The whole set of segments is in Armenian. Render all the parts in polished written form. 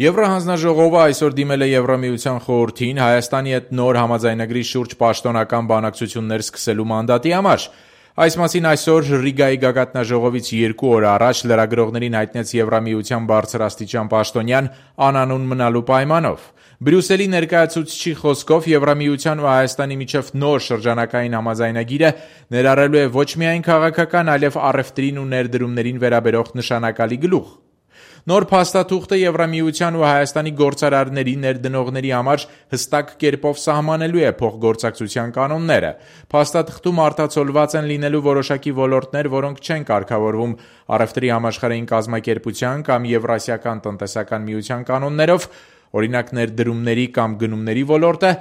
Եվրահանձնաժողովը այսօր դիմել է Եվրամիության խորհրդին Հայաստանի հետ նոր համաձայնագրի շուրջ պաշտոնական բանակցություններ սկսելու մանդատի համար։ Այս մասին այսօր Ռիգայի գագաթնաժողովից 2 օր առաջ լրագրողներին հայտնեց Եվրամիության բարձրաստիճան պաշտոնյան անանուն մնալու պայմանով։ Բրյուսելի ներկայացուցչի խոսքով Եվրամիության ու Հայաստանի միջև նոր շրջանակային համաձայնագիրը ներառելու է ոչ միայն քաղաքական, այլև առևտրին ու ներդրումներին վերաբերող նշանակալի գլուխ։ Նոր փաստաթուղթը Եվրամիության ու Հայաստանի գործարարների, ներդնողների համար հստակ կերպով սահմանելու է փոխգործակցության կանոնները։ Փաստաթղթում արտացոլված են լինելու որոշակի ոլորտներ, որոնք չեն կարգավորվում առևտրի համաշխարհային կազմակերպության կամ Եվրասիական տնտեսական միության կանոններով, օրինակ ներդրումների կամ գնումների ոլորտը,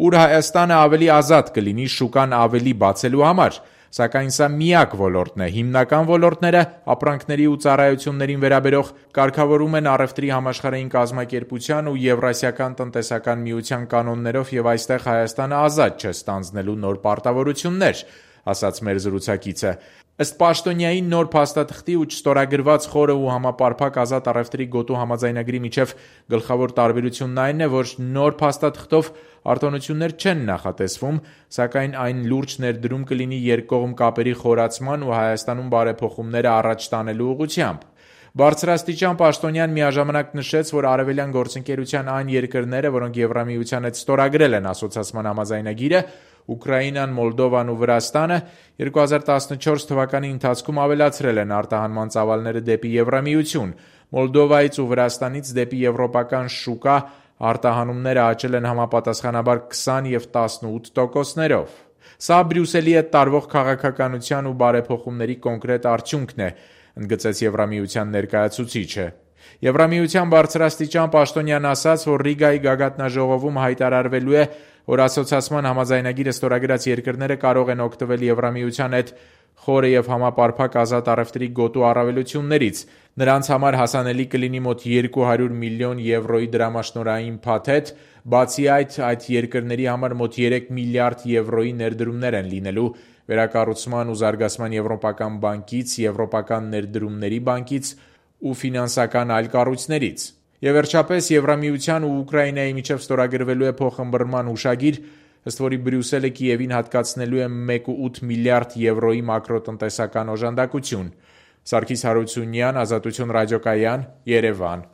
ուր Հայաստանը ավելի ազատ կլինի շուկան ավելի բացելու համար։ Սակայն սա միակ ոլորտն է։ Հիմնական ոլորտները ապրանքների ու ծառայություններին վերաբերող կարգավորում են առևտրի համաշխարհային կազմակերպության ու Եվրասիական տնտեսական միության կանոններով եւ այստեղ Հայաստանը ազատ չէ ստանձնելու նոր պարտավորություններ, ասաց մեր զրուցակիցը։ Ըստ պաշտոնյայի նոր փաստաթղթի ու չստորագրված խորը ու համապարփակ ազատ առևտրի գոտու համաձայնագրի միջև գլխավոր տարբերությունն այն է, որ նոր փաստաթղթով արտոնություններ չեն նախատեսվում, սակայն այն լուրջ ներդրում կլինի երկկողմ կապերի խորացման ու Հայաստանում բարեփոխումները առաջ տանելու ուղղությամբ։ Բարձրաստիճան պաշտոնյան միաժամանակ նշեց, որ արևելյան գործընկերության այն երկրները, որոնք Եվրամիության հետ ստորագրել են ասոցիացման համաձայնագիրը, Ուկրաինան, Մոլդովան ու Վրաստանը 2014 թվականի ընթացքում ավելացրել են արտահանման ծավալները դեպի Եվրամիություն։ Մոլդովայից ու Վրաստանից դեպի եվրոպական շուկա արտահանումները աճել են համապատասխանաբար 20 և 18%-ներով։ Սա Բրյուսելի հետ տարվող քաղաքականության ու բարեփոխումների կոնկրետ արդյունքն է, ընդգծեց Եվրամիության ներկայացուցիչը։ Եվրամիության բարձրաստիճան պաշտոնյան ասաց, որ Ռիգայի գագաթնաժողովում հայտարարվելու է, որ ասոցիացման համաձայնագիրը ստորագրած երկրները կարող են օգտվել Եվրամիության հետ խորը և համապարփակ ազատ առևտրի գոտու առավելություններից։ Նրանց համար հասանելի կլինի մոտ 200 միլիոն եվրոյի դրամաշնորհային փաթեթ, բացի այդ երկրների համար մոտ 3 միլիարդ եվրոյի ներդրումներ են լինելու վերակառուցման ու զարգացման եվրոպական բանկից, Եվրոպական ներդրումների բանկից ու ֆինանսական այլ կառույցներից։ Եվ վերջապես Եվրամիության ու Ուկրաինայի միջև ստորագրվելու է փոխըմբռնման հուշագիր, ըստ որի Բրյուսելը Կիևին հատկացնելու է 1.8 միլիարդ եվրոյի մակրոտնտեսական օժանդակություն։ Սարգիս Հարությունյան, Ազատություն ռադիոկայան, Երևան։